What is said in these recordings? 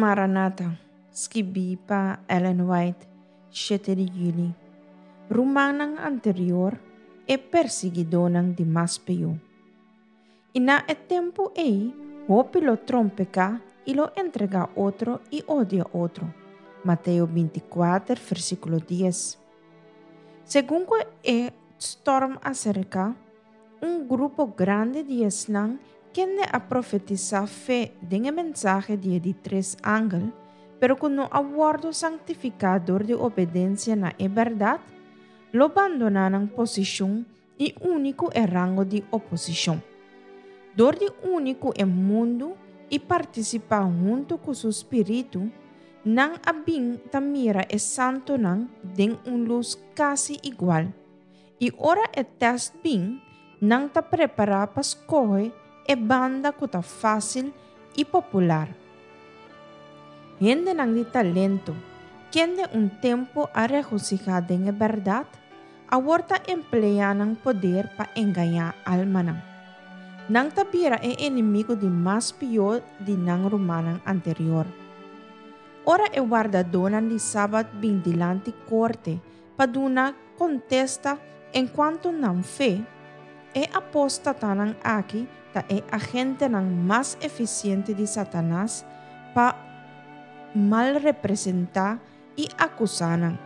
Maranata, skibí pa Ellen White, shete di yüli. Rumannan anterior, e persiguidónan di mas pió. I na e tempu ei, hopi lo trompeká i lo entregá otro i odia otro. Mateo 24, versíkulo 10. Segun ku e stòrm aserká, un grupo grandi di esnan kende a profetisá fe den e mensahe di e di tres angel, pero ku no a wòrdu sanktifiká dor di obedensia na e bèrdat, lo bandoná nan posishon i uni ku e rango di oposishon. Dor di uni ku e mundu i partisipá huntu ku su spiritu, nan a bin ta mira e santunan den un lus kasi igual. I ora e tèst bin, nan ta prepará pa skohe e banda ku ta fásil i popular. Hendenan di talento, kende un tempu a regosihá den e bèrdat, awor ta empleá nan poder pa engañá almanan. Nan ta bira e enemigu di mas pió di nan rumannan anterior. Ora e wardadónan di Sabat bin dilanti korte pa duna kontesta enkuanto nan fe, e apóstatanan aki ta e agentenan mas efisiente di Satanas pa malrepresentá i akusá nan.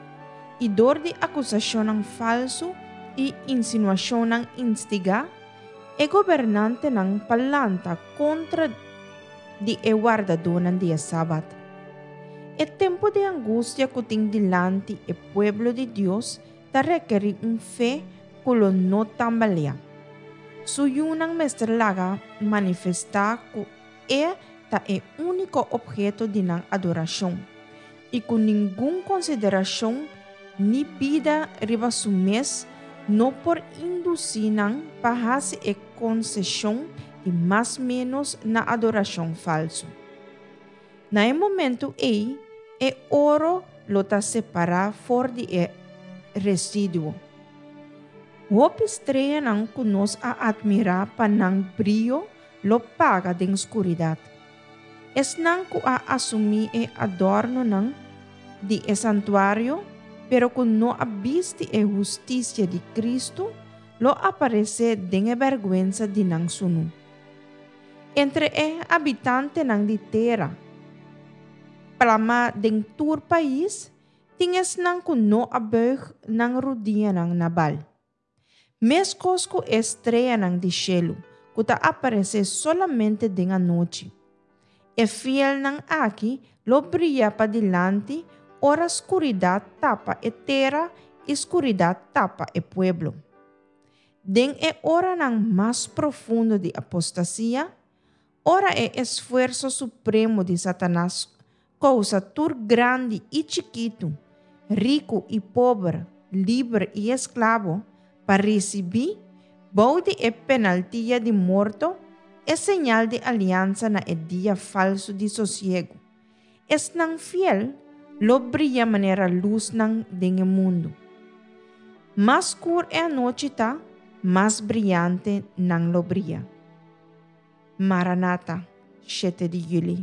I dor di akusashonnan falsu i insinuashonnan instigá, e gobernantenan pa lanta kontra di e wardadónan di e Sabat. E tempu di angustia ku tin dilanti e pueblo di Dios ta rekerí un fe ku lo no tambaleá. Su yunan mester laga manifestá ku e ta e úniko opheto di nan adorashon i ku ningun konsiderashon ni bida riba su mes no por indusí nan pa hasi e konseshon di mas ménos na adorashon falsu. Na e momentu ei, e oro lo ta separá for di e residuo. Hopi streanan ku nos a atmirá pa nan brio lo paga den skuridat. Esnan ku a asumí e adòrnonan di e santuario, pero ku no a bisti e hustisia di Kristu, lo aparesé den e bèrgwensa di nan sunú. Entre e habitantenan di tera, plamá den tur pais, tin esnan ku no a buig nan rudianan na Baal. Meskos ku e streanan di shelu ku ta aparesé solamente den anochi, e fielnan aki lo bria padilanti ora skuridat tapa e tera i skuridat tapa e pueblo. Den e oranan mas profundo di apostasia, ora e esfuerso supremo di Satanas kousa tur grandi i chikitu, riku i pober, liber i esklabo, pa risibí, bou di e penaltia di morto, e señal di aliansa na e dia falsu di sosiegu, Esnan fiel lo bria manera lusnan den e mundu. Mas skur e anochi ta, mas briante nan lo bria. Maranata, shete di yüli.